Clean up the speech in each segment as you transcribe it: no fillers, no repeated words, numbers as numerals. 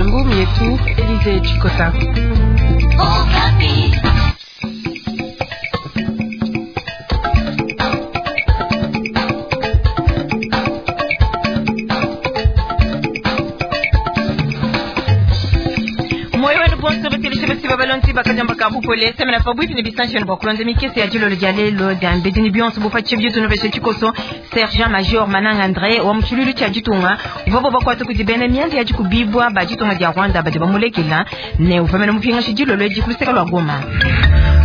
Ngumi yetu Elize Chikota. Balonzi bakajamba ka bupole semena pabuipi ne bisanshi bua kulonda mikese ya dilolo dia lelo dia mbedi ne bionso bufatshi bietu nubeshe tshikoso. Sergent major Mananga André wa mutshilulu tshia ditunga uvua bakuata kudi bena mianda ya dikubibwa ba ditunga dia Rwanda badi bamulekela ne uvamene mupingashi dilolo edi ku luseke lua Goma.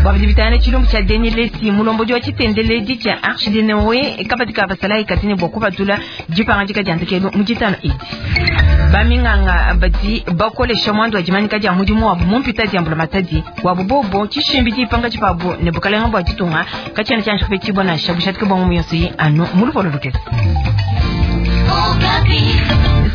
Bua bidi bitangila tshilumbu tshia Denis Lesi, mulombodi wa tshitendeledi tshia Arche de Noé, kabadi ka basalayi katini bua kupatula dipangadika dia ndekelu mu ditano edi. Baminganga badi bakolesha mwandu wa dimanyika dia mudimu wabu mu mpita dia mbulamatadi wabu bobo tshishimbi dipanga tshipabu ne bukalenga bua ditunga katshiena tshianji kupetshibua nansha bushatike bua ngumu yonso yi anu mu lupolo lukese.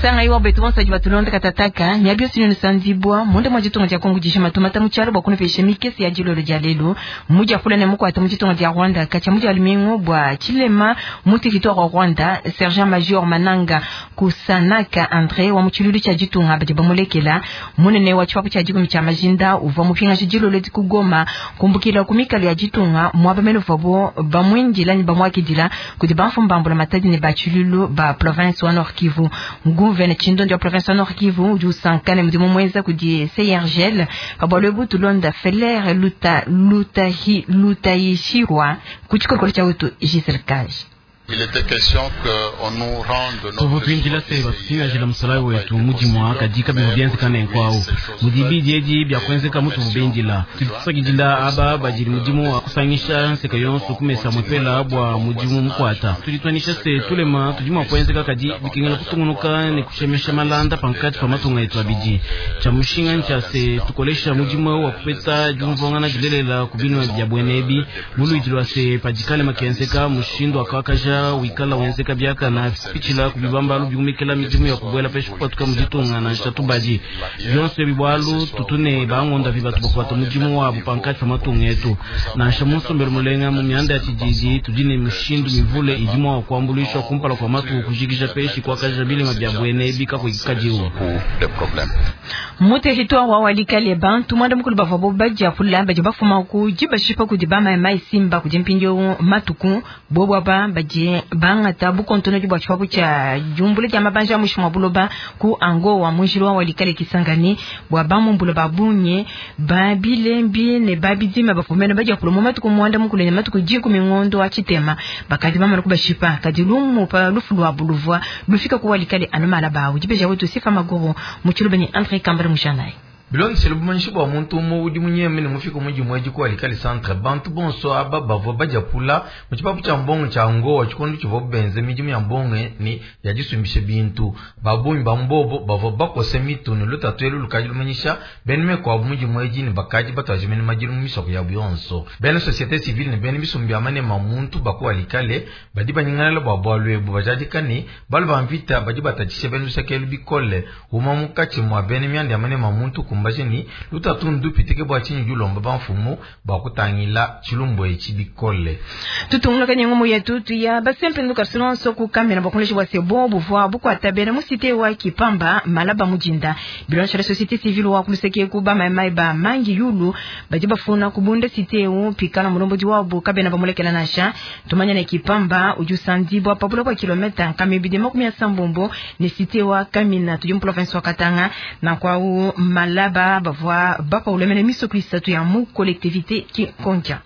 Sanga iwa betu bonso badi batulonda katataka miabi yonso inu sandibwa munda mwa ditunga dia Kongo dijima tumata mu tshialo bua kunupesha mikese ya dilolo dia lelo mudia kula ne mukwata mu ditunga dia Rwanda katshia mudia lumingu bua tshilema mu territoire wa Rwanda. Sergent major Mananga Kusanaka André wa mu tshilulu tshia ditunga badi bamulekela munene wa tshipapu tshia dikumi tshia majinda uvua mupingashi dilolo di ku Goma kumbukila ku mikalo ya ditunga muaba mene uvuabo bamuindila ne bamuakidila kudi bamfumu ba mbulamatadi ne ba tshilulu ba province wa Nord Kivu. Nguvene tshindondi wa province wa Nord Kivu udi usankane mudimu muenza kudi CIRGL pa bualu ebu tulonda Feler Luta Lutahi Lutayishirwa ku tshikolokolo tshia wetu Giselle Kaj. Tuvua tuindila se batupingajila musalayi wetu mudimua kadi kabivua bienzeka nenkuawu mudibidi edi biakuenzeka mutuvu bindila. Tudi tusakidila aba badili mudimu wa kusangisha nseka yonso kumesa mwepela bua mudimu mukuata. Tudi tuanisha se tulema tudi mua kuenzeka kadi bikengela kutungunuka ne kushemesha malanda pankatshi pa matunga etu abidi. Tshia mushinga ntshia se tukolesha mudimu wa kupeta diumvuangana dilelela ku binua bia buenebi muluidi lua se padikale makenzeka mushindu wakakaja wikala wenzeka biakana kupitshila kubibambalu biumikila midimu ya kubuela peshi kupatuka muditunga nansha tubadi bionso ebi bualu tutune bangonda vi batu bakuata mudimu wabu pankatshi pa matunga etu nansha munsombelo mulenga mu mianda ya tshididi tudi ne mishindu mivule idi mua kuambuluisha kumpala kua matuku kujikija peshi kuakaja bilema bia buenebi kakuikadiwu. Mu territoire wa Walikale bantu mwanda mukulu bavua bo badia kula badi bafuma ku dibashipa kudi bamayi simba kudi mpindieu matuku bobo aba badi bangata bukontonodi bua tshipapu tshia diumbula dia mabanja a muinshi mua buloba ku Angowa munjila wa Walikale Kisangani bua bamumbula ba bungi ba bilembi ne ba bidima bafumene badia kula mu matuku mwanda mukulu ne matuku 10 ngondo wa tshitema bakadi bamana kubashipa kadi lumu pa lufu lua buluvua lufika ku Walikale anu malaba udibeja wetu Sifa Maguru mu tshiluba ne André Kambale Mushanai. Bilondeshile bumanyishi bua muntu umue udi munyeme ne mufika mu dimue edi ku Walikale centre bantu bonso aba bavua badiapula mu tshipapu tshia mbongo tshia Ngowa tshikondo tshivuabu benze midimu ya mbongo ne ya disumbisha bintu. Ba bungi ba mbobo bavua bakose mitu ne lutatu elu lukadi lumanyisha bena mekuabu mu dimue edi ne bakadi batuajimene madilu mu misoko yabu yonso. Bena société civile ne bena bisumbu bia manema muntu ba ku Walikale badi banyingalala bua bualu ebu bajadika ne balu ba mvita badi batatshisha bena luseke elu bikole uma munkatshi mua bena mianda ya manema muntu kumbajeni lutatu ndupitike bua tshinyi dilomba bamfumu bua kutangila tshilumbu etshi bikole. Tutunguluka ne ngumu yetu tuya basempe nduka silonso ku kamera bakoleshi bua sebo buvua bukuata bena mu cité wa Kipamba malaba mujinda bilonshela la société civile wa kuluseke ku ba maimai ba mangi yulu badi bafuna kubunda cité u pikala mulombodi wabo kabena bamulekela nansha tumanya ne Kipamba udi usandibwa pabula kwa kilomita nkamibidi 36 ne cité wa Kamina tudi mu province wa Katanga na kwa u malaba bavua bapaulemene misoko isatu ya mu collectivité Kikondia.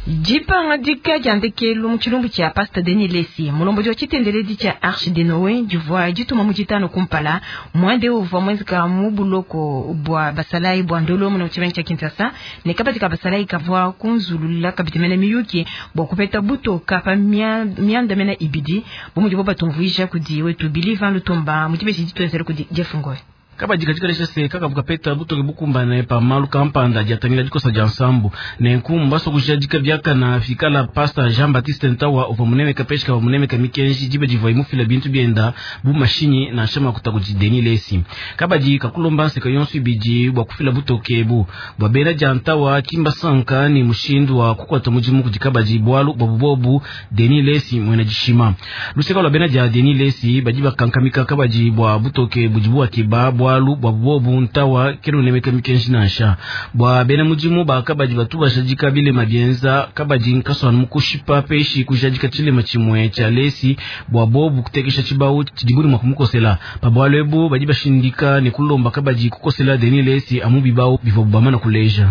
Dipanga dika dia ndekelu mu tshilumbu tshia Pasteur Denis Lesi mulombodi wa tshitendeledi tshia Arche de Noé divua dituma mu ditano kumpala mwande uvua mwenzeka mu buloko bua basalayi bua ndolo mu tshimenga tshia Kinshasa ne kabadi ka basalayi kavua kunzulula kabidi mene miyuki bua kupeta butoka pa mianda mene ibidi bu mudibo batumvuija kudi wetu Billy Van Lutumba mu dibeji dituenzela kudi Jeff Ngoy. Kabadi kadi kalesha se kakavu kapeta butoke bukumbane pa malu kampanda adi atangila dikosa dia nsambu. Nenku mbasua kujadika biakana fikala Pastor Jean Baptiste Ntawa uvua munemeka peshi kavua munemeka mikenji diba divuaye mufila bintu bienda bu mashinyi nansha makuta kudi Denis Lesi. Kabadi kakulomba nseka yonso ibidi bua kufila butoke ebu bua bena dia Ntawa ki mbasanka ne mushindu wa kukuata mudimu kudi kabadi bualu buabu bobu Denis Lesi muena dishima. Luseka lua bena dia Denis Lesi badi bakankamika kabadi bua butoke budibu bakeba bualu buabu bobu Ntawa kena unemeka mikenji nansha. Bua bena mudimu ba kabadi batu bajadika bilema bienza kabadi nkasuanu mu kushipa peshi kujadika tshilema tshimue tshia Lesi bua bobu kutekesha tshibawu tshidibu ne mua kumukosela. Pa bualu ebu badi bashindika ne kulomba kabadi kukosela Denis Lesi amu bibawu bivuabu bamana kuleja.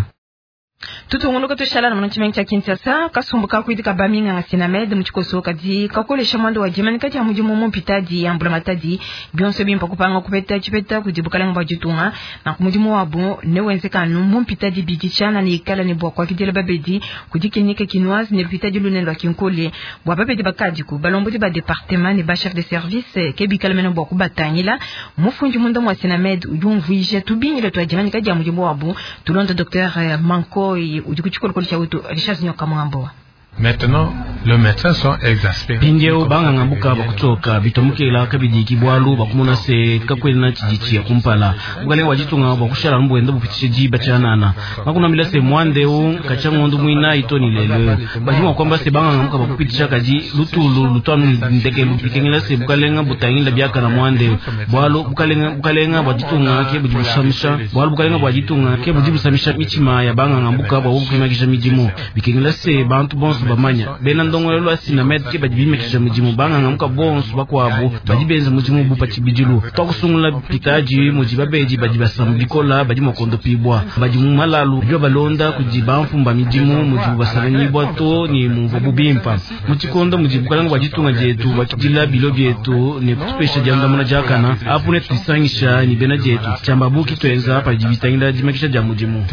Tutungunuka tushala na mu tshimenga tshia Kinshasa, kasumbu ka kuidika ba minganga Sinamed mu tshikoso kadi kakolesha mwanda wa dimanika dia mudimu mu mpitadi ya mbulamatadi bionso bimpa kupanga kupeta tshipeta kudi bukalenga bua ditunga na ku mudimu wabu ne wenzekanu mu mpitadi bidi tshiana ne ikala ne bua kuakidila babedi kudi clinique kinoise ne lupitadi lunene lua Kinkole bua babedi bakadiku balombodi ba département ne ba chef de service ke bikala mene bua kubatangila. Mufundi munda mua Sinamed udi umvuija tubingila tua dimanika dia mudimu wabu. Tulonda Dr Manko udi ku tshikolokolo tshia wetu Richard Nyoka Mwambo. Maintenant, les médecins sont exaspérés. Mpindieu banganga mbuka bakutoka bitomukela kabidi kibwalu bakumona se kakwena tshidi tshiya kumpala bukalenga bua ditunga bua kushala mbuenda bupitishe diba tshianana makunambila se mwandeu katshia ngondo muinayi to ni lelo badi mua kuamba se banganga mbuka bakupitisha kadi lutulu lutwanu ndekelu bikengela se bukalenga butangila biakana mwandeu bualu bukalenga bukalenga bua ditunga ke budi busamisha bualu bukalenga bua ditunga ke budi busamisha mitshima ya banganga mbuka bua bukuimakisha midimu bikengela se bantu bonso bamanya bena ndongolelo lwa Sinamed ke badi bimakisha mudimu banganga muka bonso bakuabu badi benza mudimu bu pa tshibidilu twakusungula pitaji mudi babedi badi basamba bikola badi mua kondopibwa badi mu malalu badi balonda kudi bamfumba midimu mudibu basanganyibwa to ni mumvua bubimpa mu tshikondo mudi bukalenga bua ditunga dietu bakidila bilo bietu ne kutupesha diandamuna diakana apu ne tudisangisha ni bena dietu tshiamba buki tuenza padi bitangila dimakisha dia mudimu.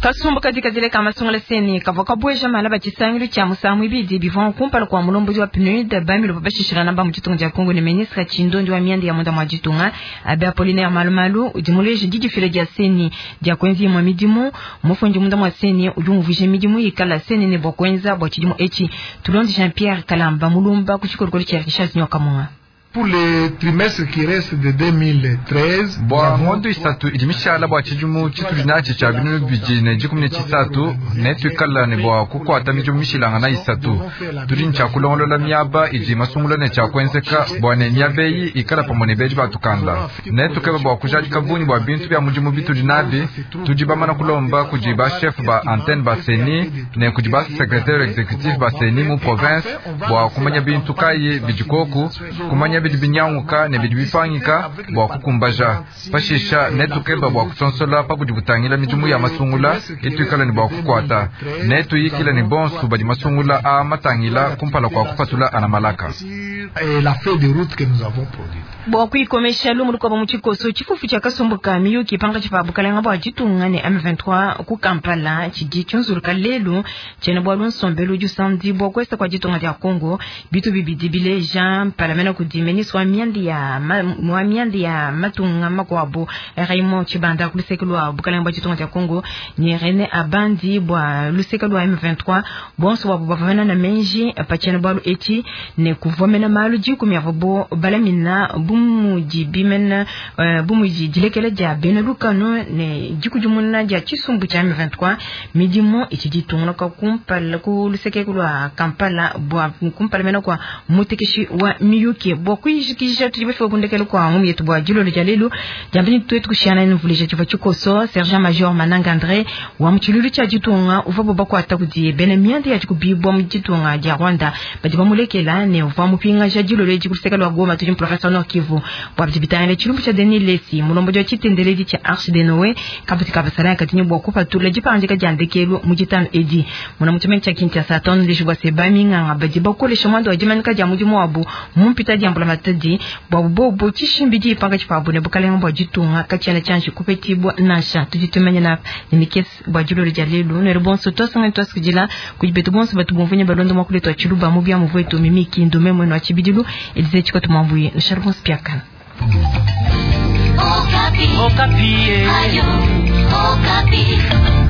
Kasumbu kadi kadileka masungula seni kavua kabueja mala ba tshisangilu tshia musangu ibidi bivua kumpala kua mulombodi wa PNUD bamilo bashishilana ba mu ditunga dia Kongo ne ministre Tshindondi wa mianda ya munda mua ditunga Abbé Apollinaire Malumalu udi muleje didifila dia seni dia kuenza imue midimu. Mufundi munda mua seni udi umvuija midimu ikala seni ne bua kuenza bua tshidimu etshi. Tulonde Jean Pierre Kalamba mulumba ku tshikolokolo tshia Richard Nyoka Munga. Pour les trimestres qui restent de 2013, bua ngondo isatu idi mishala bua tshidimu tshitudi natshi tshia binunu bibidi ne dikumi ne tshisatu netuikala ne bua kukuata midimu mishilangana isatu. Tudi ne tshia kulongolola miaba idi masungula ne tshia kuenzeka bua ne miaba eyi ikala pamue ne bedi batukanda. Netukeba bua kujadika bungi bua bintu bia mudimu bitudi nabi. Tudi bamana kulomba kudi ba chef ba antenne ba CENI ne kudi ba secrétaire exécutif ba CENI mu province bua kumanya bintu kayi bidi koku, kumanya bidi binyanguka ne bidi bipangika bua kukumbaja. Pashisha netukeba bua kusonsola pa budi butangila midimu ya masungula ituikala ne bua kukuata. Netuyikila ne bonso badi masungula a matangila kumpala kua kupatula ana malaka. Bua kuikomesha lumu lukuabu mu tshikoso tshifufu tshia kasumbu ka miyuki pankatshi pa bukalenga bua ditunga ne M23 ku Kampala tshidi tshiunzuluka lelu tshiena bualu nsombelu udi usandibua kuesa kua ditunga dia Kongo bitu bibidi bileja mpalamena kudi ministre wa mianda ya matunga makuabu Raymond Tshibanda ku luseke lua bukalenga bua ditunga dia Kongo ne René Abandi bua luseke lua M23 bonso babu bavana na menji pa tshiena bualu etshi ne kuvomena malu dikumi avuabu balamina bumudi bimena bumudi dilekela dia bena lukano ne dikudimuna dia tshisumbu tshia M23 midimu itshidi itungunuka kumpala ku luseke lua Kampala bua kumpala mena kua mutekeshi wa miyuki bua kuyijikija tudi bafika kundekela kua ngumu yetu bua dilolo dia lelu diambeni tuetu kushiana nvuleja tshivua tshikoso sergent major Mananga André wa mu tshilulu tshia ditunga uvua bakuata kudi bena mianda ya dikubibua mu ditunga dia Rwanda badi bamulekela ne uvua mupingaja dilolo edi ku luseke lua Goma tudi mu province Nord Kivu bua bidi bitangila tshilumbu tshia Denis Lesi mulombodi wa tshitendeledi tshia Arche de Noé kabuti kabasala katini bua kupatula dipangadika dia ndekelu mu ditanu edi muna mu tshimenga tshia Kinshasa tondeji bua se baminganga badi bakolesha mwanda wa dimanika dia mudimu wabu mu mpita dia mbulamatadi bua bobo tshishimbidi pankatshi pabu ne bukalenga bua ditunga katshiena tshianji kupetibua nansha tudi tumanya na mikese bua dilolo dia lelu nere bonso twasanga twasikidila kudi betu bonso batu bumvunya balonda mwa kuletwa tshiluba mu bia muvuetu mimiki ndume mwenu wa tshibidilu Elize Tshikoto Mwambuye nshalu bonso piakana. Okapi. Okapi.